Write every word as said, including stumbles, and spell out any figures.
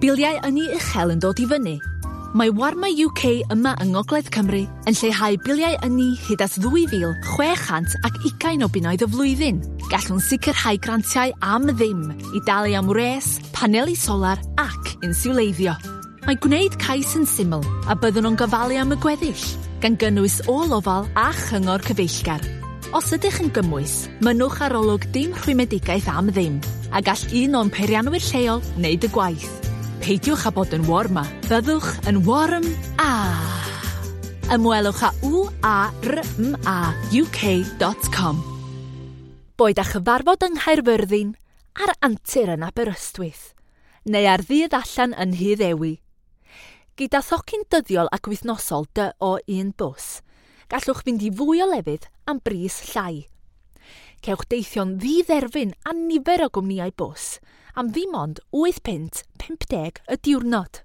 Biliau ynni uchel yn dod i fyny. Mae Warma U K yma yng Ngogledd Cymru yn lleihau biliau ynni hyd at ddwy fil chwe chant ac ugain o bunnoedd y flwyddyn. Gallwn sicrhau grantiau am ddim i dalu am wres, paneli solar ac insiwleiddio. Mae gwneud cais yn syml a byddwn yn gofalu am y gweddill, gan gynnwys ôl-ofal a chyngor cyfeillgar. Os ydych yn gymwys, mynnwch arolwg dim rhwymedigaeth am ddim, a gall un o'n peirianwyr lleol wneud y gwaith. Peidiwch â bod yn warma, byddwch yn warm a. Ymwelwch â w a r m a u k dot com. Boed â chyfarfod yng Nghaerfyrddin, ar antur yn Aberystwyth, neu ar ddydd allan yn Nhyddewi. Gyda thocyn dyddiol ac wythnosol dy o un bws, gallwch fynd i fwy o lefydd am bris llai. Cewch deithio'n ddidderfyn a nifer o gwmnïau bws am ddim ond wyth punt pump deg y diwrnod.